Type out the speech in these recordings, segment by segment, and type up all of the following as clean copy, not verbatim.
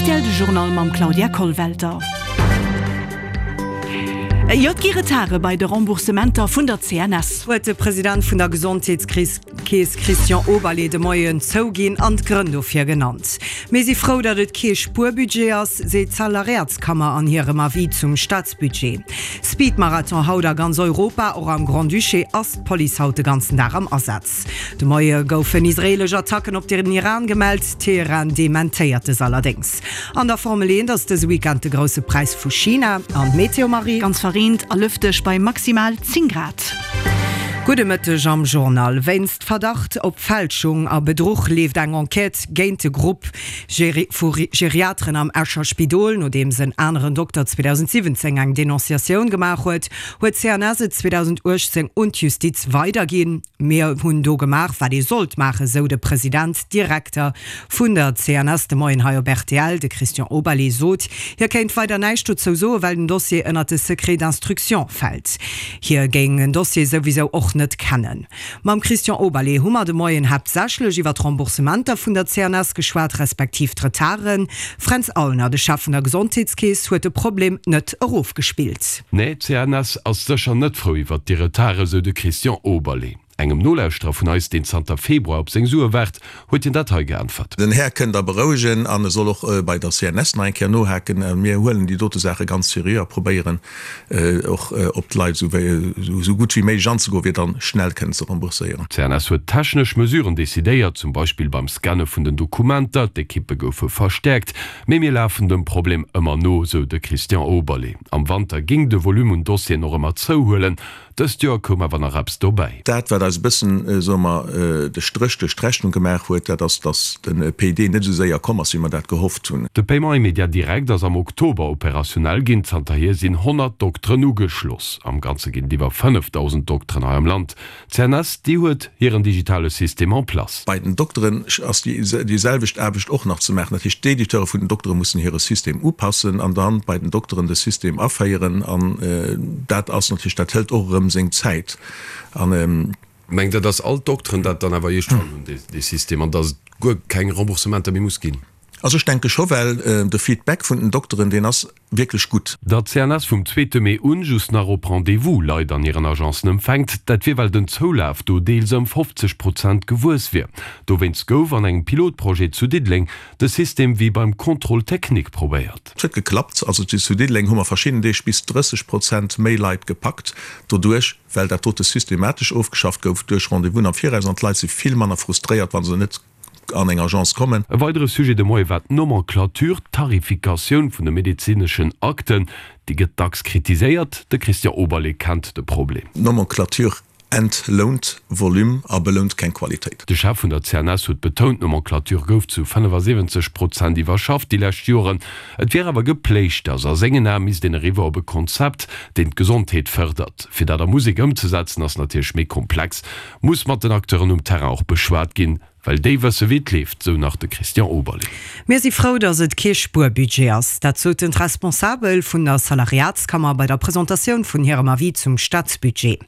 Rtl de Journal mam Claudia Kollwelter. Jo, et gi Retarde bei de Remboursementer vun der CNS. Huet de President vun der Gesondheetskeess Christian Oberlé de Moien zouginn an d'Grënn dofir genannt. Mir si frou, datt et kee Spuerbudget ass, seet d'Salariatskammer an hirem Avis zum Staatsbudget. Speedmarathon haut a ganz Europa, och am Grand-Duché ass d'Police haut de ganzen Dag am Asaz. De Moie goufen israeelesch Attacken op den Iran gemellt, Teheran dementéiert dës allerdéngs. An der Formel 1 ass dëse Weekend de Grousse Präis vu China. An d'Meteo, Marie? Ganz verreent a lëfteg bei maximal 10 Grad. Gudde Mëtteg am Journal. Wéinst Verdacht op Fälschung a Bedruch leeft eng Enquête géint de Grupp vu Geriateren am Escher Spidol. Nodeems en aneren Dokter 2017 eng Denonciatioun gemaach huet, huet d'CNS et 2018 un d'Justiz weiderginn. Mir hunn do gemaach, wat ee sollt maachen, sou de President Direkter vun der CNS de Moien hei op rtl. De Christian Oberlé sot, hie kéint weider näischt dozou soen, well den Dossier ënnert de Secret d'instruction fält. Hie géing den Dossier souwisou och net kennen. Mam Christian Oberlé hu mer de Moien haaptsächlech iwwer d'Remboursementer vun der CNS geschwat, respektiv d'Retarden. Fränz Aulner, de Chef vun der Gesondheetskeess, huet de Problem net erofgespillt. Nee, d'CNS ass sécher net frou iwwert déi Retarde, sou de Christian Oberlé. Engem Nolauschterer vun eis, deen zanter Februar op seng Sue waart, huet hien dat hei geäntwert. Den Här kënnt a berouegen an e soll och bei der CNS nach eng Kéier nohaken. Mir huelen déi dote Saache ganz seriö a probéieren och op d'Leit esou gutt wéi méiglech anzegoen, fir dann schnell kënnen ze rembourséieren. D'CNS huet technesch Mesuren decidéiert, zum Beispill beim Scanne vun den Dokumenter. D'Ekippe goufe verstäerkt. Mee mir lafen dem Problem ëmmer no, sou de Christian Oberlé. Am Wanter géing de Volume un Dossieren och ëmmer zouhuelen. Dëst Joer koum awer nach eppes dobäi. Dat, wat eis e bëssen, soe mer, de Stréch duerch d'Rechnung gemaach huet, dat ass, datt de PID net esou séier komm ass, wéi mer dat gehofft hunn. De Paiement immédiat direct ass am Oktober opérationnel ginn. Zanterhier sinn 100 Dokteren ugeschloss. Am Ganze ginn et iwwer 5.000 Dokteren hei am Land. D'CNS, déi huet hiren digitale System en place. Bei den Dokteren ass déi selwecht Aarbecht och nach ze maachen. Dat heescht, d'Editeure vun den Doktere mussen hire System upassen an dann bei den Dokteren de System aféieren. An dat ass natierlech, dat hëlt och erëm seng Zäit. An. Mengt Der, dass all d'Dokteren dat dann awer iergendwann hunn, dee System, an dass et guer keng Remboursementer méi muss ginn? Also ech denke scho, well de Feedback vun den Dokteren, deen ass wierklech gutt. Datt d'CNS vum zweete Mee un just nach op Rendez-vous Leit an hiren Agencen empfänkt, dat wier well den Zoulaf do deels ëm 50 Prozent gewuess wier. Dowéinst gouf an engem Pilotprojet zu Diddeleng de System wéi beim Contrôle technique probéiert. Et huet geklappt. Also zu Diddeleng hu mer verschidden Deeg bis 30 Prozent méi Leit gepackt doduerch, well dat dote systematesch ofgeschafft gouf duerch Rendez-vousen am Viraus an d'Leit si vill manner frustréiert, wa se net an eng Agence kommen. E weidere Sujet de Moie war d'Nomenclature, d'Tarifikatioun vun de medezineschen Akten. Déi gëtt dacks kritiséiert. De Christian Oberlé kennt de Problem. D'Nomenclature entlount Volume a belount keng Qualitéit. De Chef vun der CNS huet betount, d'Nomenclature gouf zu 75 Prozent iwwerschafft déi lescht Joren. Et wier awer Gepléischters. A sengen Ae misst een eriwwer op e Konzept, deen d'Gesondheet fërdert. Fir dat a Musek ëmzesetzen ass natierlech méi komplex. Muss mat den Acteuren um Terrain och beschwat ginn, well déi wësse wéi et leeft, sou nach de Christian Oberlé. Mir si frou, datt et kee Spuerbudget ass. Dat soten d'Responsabel vun der Salariatskammer bei der Presentatioun vun hirem Avis zum Staatsbudget.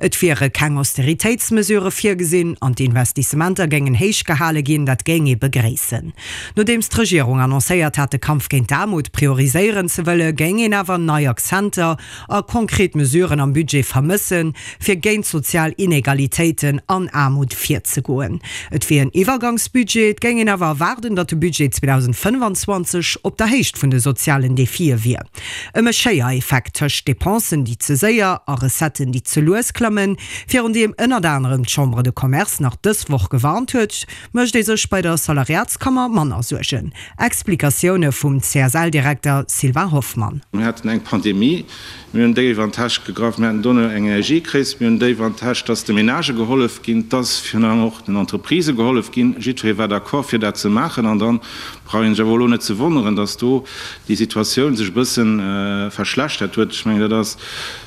Et wiere keng Austeritéitsmesurë virgesinn an d'Investissementer géingen héich gehale ginn. Dat géing ee begréissen. Nodeems d'Regierung annoncéiert hat, de Kampf géint d'Aarmut prioriséieren ze wëlle, géing een awer nei Akzenter a konkret Mesuren am Budget vermëssen, fir géint sozial Inegalitéiten an Aarmut virzegoen. Et wier en Iwwergangsbudget, et géing een awer erwaarden, datt de Budget 2025 op der Héicht vun de sozialen Defie wier. Ëm e Schéiereffekt tëscht Depensen, déi ze séier, a Recetten, déi ze lues klammen, virun deem ënnert anerem d'Chambre de Commerce nach dës Woch gewarnt huet, mécht ee sech bei der Salariatskammer manner Suergen. Explikatioune vum CSL-Direkter Sylvain Hoffmann. Mir haten eng Pandemie, mir hunn déif an d'Täsch gegraff, mir haten dono eng Energiekris, mir hunn déif an d'Täsch, dass de Menagë gehollef ginn, dass virun allem och den Entreprisë gehollef ginn. Jiddweree war d'accord fir dat ze maachen an da brauch ee sech awer elo net ze wonneren, dass do déi Situatioun sech e bësse verschlechtert huet. Ech mengen, dat ass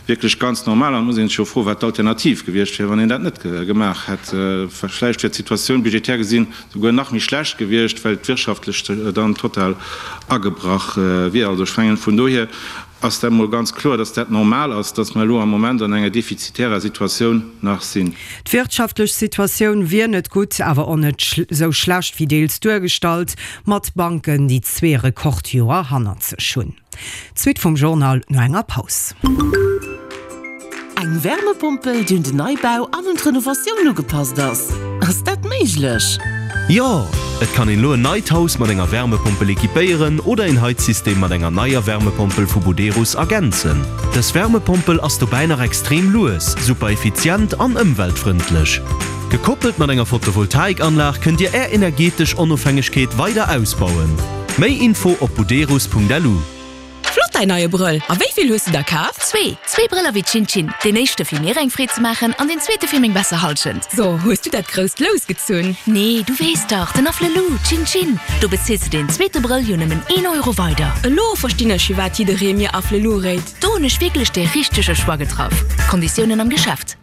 wierklech ganz normal an et muss ee sech jo froen, wat d'Alternativ gewiescht wier, wann een dat net gemaach hätt. Vläicht wier d'Situatioun budgetär gesinn souguer nach méi schlecht gewiescht, well d'wirtschaftlech dann total agebrach wier. Also ech mengen, vun dohier. Ass dat mol ganz kloer, dass dat normal ass, dass mer elo am Moment an enger defizitärer Situatioun nach sinn. D'wirtschaftlech Situatioun wier net gutt, awer och net sou schlecht wéi deels duergestallt, mat Banken, déi zwee Rekordjoer hannert sech hunn. D'Suite vum Journal no enger Paus. Eng Wärmepompel, déi un den Neibau an un d'Renovatioun ugepasst ass, ass dat méiglech? Jo! Et kann een elo en neit Haus mat enger Wärmepompel equipéieren oder een Heizsystem mat enger neier Wärmepompel vu Buderus ergänzen. Dës Wärmepompel ass dobäi nach extrem lues, super effizient an ëmweltfrëndlech. Gekoppelt mat enger Photovoltaikanlag kënnt Dir Är energetesch Onofhängegkeet weider ausbauen. Méi Info op buderus.lu. Flott däin neie Brëll! A wéi vill hues de der kaf? Zwee! Zwee Brëller wéi Chin Chin. Deen éischte fir mir eng Freed ze maachen an deen zweete fir meng besser Halschent. So, hues du dat grousst Lous gezunn? Nee, du weess dach, den Afflelou, Chin Chin. Do bezils de deen zweete Brëll jo nëmmen een Euro weider. Elo verstinn ech firwat jidderee mir Afflelou réit. Do hunn ech wierklech dee richtege Choix getraff. Konditiounen am Geschäft.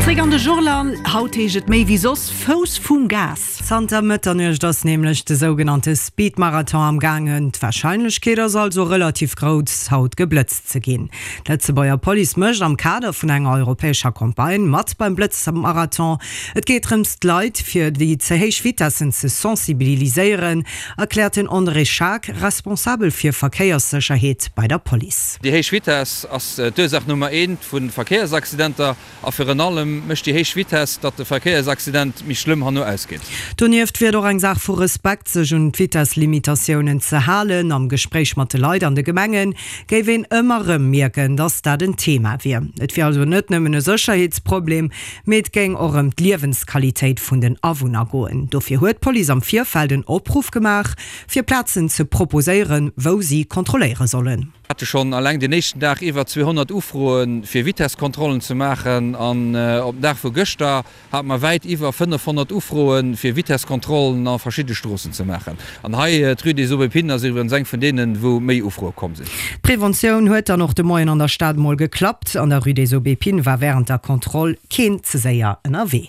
Zréck an de Journal, Haut heescht et méi wéi soss Fouss vum Gas. Zanter Mëtternuecht ass nämlech de sougenannte Speed-Marathon am gaangen. D'Warscheinlechkeet ass also relativ grouss, haut geblëtzt ze ginn. D'Lëtzebuerger Police mécht am Kader vun enger europäescher Campagne mat beim Blëtzmarathon. Et geet drëms, d'Leit fir déi ze héich Vitessen ze sensibiliséieren, erkläert den André Schaack, Responsabel fir Verkéierssécherheet bei der Police. Déi héich Vitess ass d'Ursaach Nummer eent vu Verkéiersaccidenter a virun allem mécht déi héich Vitess, datt de Verkéiersaccident méi schlëmm herno ausgeet. Donieft wier et och eng Saach vu Respekt, sech un d'Vitesslimitatiounen ze halen. Am Gespréich mat de Leit an de Gemenge géif een ëmmer erëm mierken, datt dat en Thema wier. Et wier also net nëmmen e Sécherheetsproblem, mee et géing och ëm d'Liewensqualitéit vun den Awunner goen. Dofir huet d'Police am Virfeld en Opruff gemaach, fir Plazen ze proposéieren, wou si kontrolléiere sollen. Hate schonn alleng den éischten Dag iwwer 200 Ufroe fir Vitesskontrollen ze maachen an op den Dag vu gëschter hate mer wäit iwwer 500 Ufroe fir Vitesskontrollen a verschidde Stroossen ze maachen. An hei d'Rue des Aubépines ass iwwregens eng vun deenen, wou méi Ufroe komm sinn. D'Preventioun huet dann och de Moien an der Stad mol geklappt. An der Rue des Aubépines war wärend der Kontroll keen ze séier ënnerwee.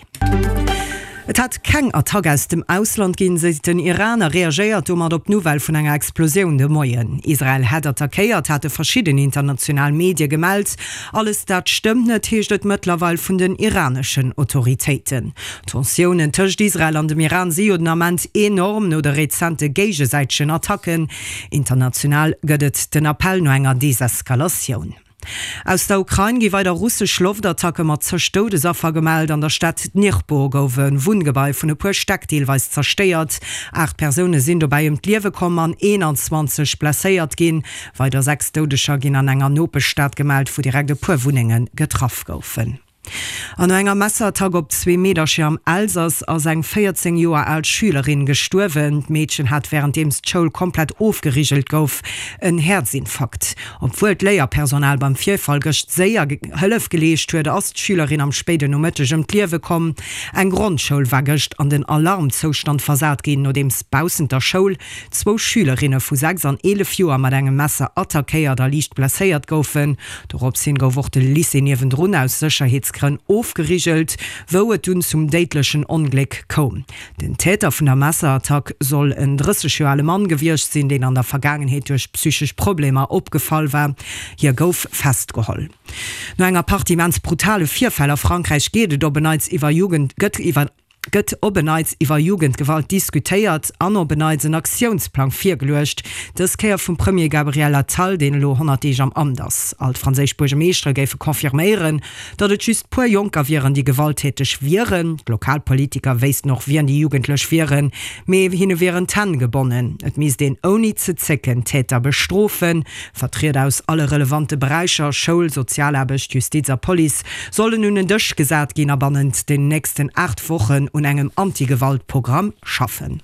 Et hätt keng Attack aus dem Ausland ginn, seet den Iran a reagéiert domat op d'Nouvelle vun enger Explosioun de Moien. Israel hätt attackéiert, hate verschidden international Medie gemellt. Alles dat stëmmt net, heescht et mëttlerweil vun den iraneschen Autoritéiten. D'Tensiounen tëscht Israel an dem Iran si jo den Ament enorm, no de rezente géigesäitegen Attacken. International gëtt et den Appell no enger Deseskalatioun. Aus der Ukrain gi weider russesch Loftattacke mat zeg Doudesaffer gemellt. An der Stad Dnipro gouf e Wunngebai vun e puer Stäck deelweis zerstéiert. 8 Persoune sinn dobäi ëm d'Liewe komm an 21 blesséiert ginn. Weider 6 Doudeger ginn an enger Nopeschstad gemellt, wou direkt e puer Wunnenge getraff goufen. An no enger Messerattack op zwee Meedercher am Elsass ass eng 14 Joer al Schülerin gestuerwen. D'Meedchen hat wärenddeems d'Schoul komplett ofgerigelt gouf en Häerzinfarkt. Obwuel d'Léierpersonal beim Virfall gëscht séier Hëllef geleescht huet, ass d'Schülerin am spéiden Nomëtteg ëm d'Liewe komm. Eng Grondschoul war gëscht an den Alarmzoustand versat ginn, nodeems baussent der Schoul zwou Schülerinne vu 6 an 11 Joer mat engem Messer attackéiert a liicht blesséiert goufen. Dorops hin gouf och de Lycée niewendrun aus Sécherheetsgrënn ofgerigelt, wou et dunn zum déidlechen Ongléck koum. Den Täter vun der Messerattack soll en 30 Joer ale Mann gewiescht sinn, deen an der Vergaangenheet duerch psychesch Problemer opgefall war. Hie gouf festgeholl. No enger Partie immens brutale Virfäll a Frankräich geet et op en Neits iwwer Jugend gëtt iwwer. gëtt op en Neits iwwer Jugendgewalt diskutéiert an op en Neits en Aktiounsplang virgeluecht, dës Kéier vum Premier Gabriel Attal, deen elo 100 Deeg am Amt ass. All d'franséisch Buergemeeschtere géife confirméieren, datt et just puer Jonker wieren, déi gewalttäteg wieren. D'Lokalpolitiker wéissten och, wien déi Jugendlech wieren, mee hinne wieren d'Hänn gebonnen. Et misst een ouni ze zécken d'Täter bestrofen. Vertrieder aus alle relevante Beräicher, Schoul, Sozialaarbecht, Justiz a Police, sollen un en Dësch gesat ginn a bannent den nächsten 8 Wochen un engem Anti-Gewalt-Programm schaffen.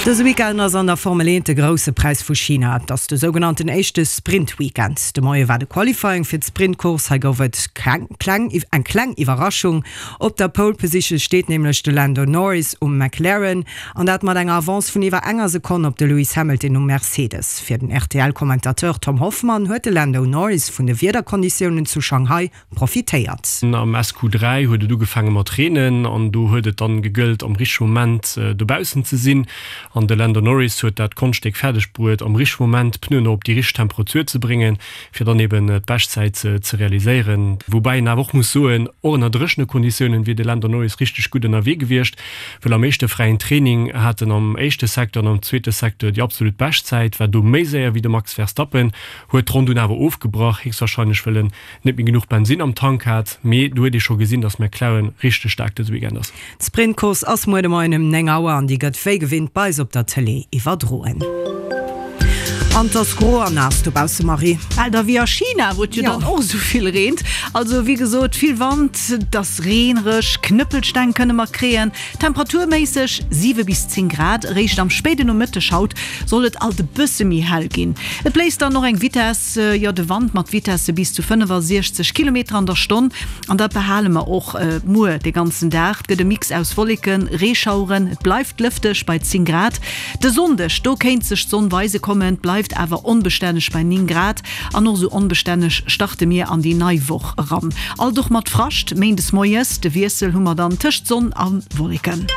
Dëse Weekend ass an der Formel 1 de Grousse Präis vu China. Et ass de sougenannten éischte Sprint-Weekend. De Moie war de Qualifying fir d'Sprint-Course. Hei gouf et eng kleng Iwwerraschung. Op der Pole Position steet nämlech de Lando Norris um McLaren. An dat mat enger Avance vun iwwer enger Sekonn op de Lewis Hamilton um Mercedes. Fir den RTL-Commentateur Tom Hoffmann huet de Lando Norris vun de Wiederkonditiounen zu Shanghai profitéiert. Am SQ3 huet et ugefaange mat reenen an do huet et dann gegëllt am richtege Moment dobaussen ze sinn. An de Lando Norris huet dat Konschtstéck fäerdeg bruet, am richtege Moment d'Pneuen och op déi richteg Temperatur ze bréngen, fir dann eben d'Beschtzäit ze realiséieren. Woubäi een awer och muss soen, och ënner dréchene Konditiounen wier de Lando Norris richteg gutt ënnerwee gewiescht, well am éischte fräien Training hat en am éischte Secteur an am zweete Secteur déi absolut Beschtzäit, war do méi séier wéi de Max Verstappen, huet d'Ronn dunn awer ofgebrach, héchstwahrscheinlech well en net méi genuch Bensinn am Tank hat. Mee do huet ee scho gesinn, datt McLaren richteg staark dëse Weekend ass. D'Sprintcourse ass muer de Moien um 9 Auer an déi gëtt wéi gewinnt bei eis op der Tëlee iwwerdroen. An 't ass gro an naass dobausse, Marie. Bal da wéi a China, wou et jo dann och esou vill reent. Also wéi gesot, vill Wand, et ass reenereg, Knëppelsteng kënne mer kréien. Temperaturméisseg 7 bis 10 Grad. Eréischt am spéiden Nomëtteg haut soll et alt e bësse méi hell ginn. Et bléist dann och eng Vitess, jo de Wand mat Vitesse bis zu 65 Kilometer an der Stonn. An dat behale mer och muer de ganzen Dag. Et gëtt e Mix aus Wolleken, Reeschaueren, et bleift lëfteg bei 10 Grad. De Sonndeg, do kéint sech d'Sonn weise kommen, et bleift awer onbestänneg bei 9 Grad. An och esou onbestänneg starte mir an déi nei Woch eran, alt och mat Frascht méindes moies. De Wiessel hu mer dann tëscht Sonn a Wolleken.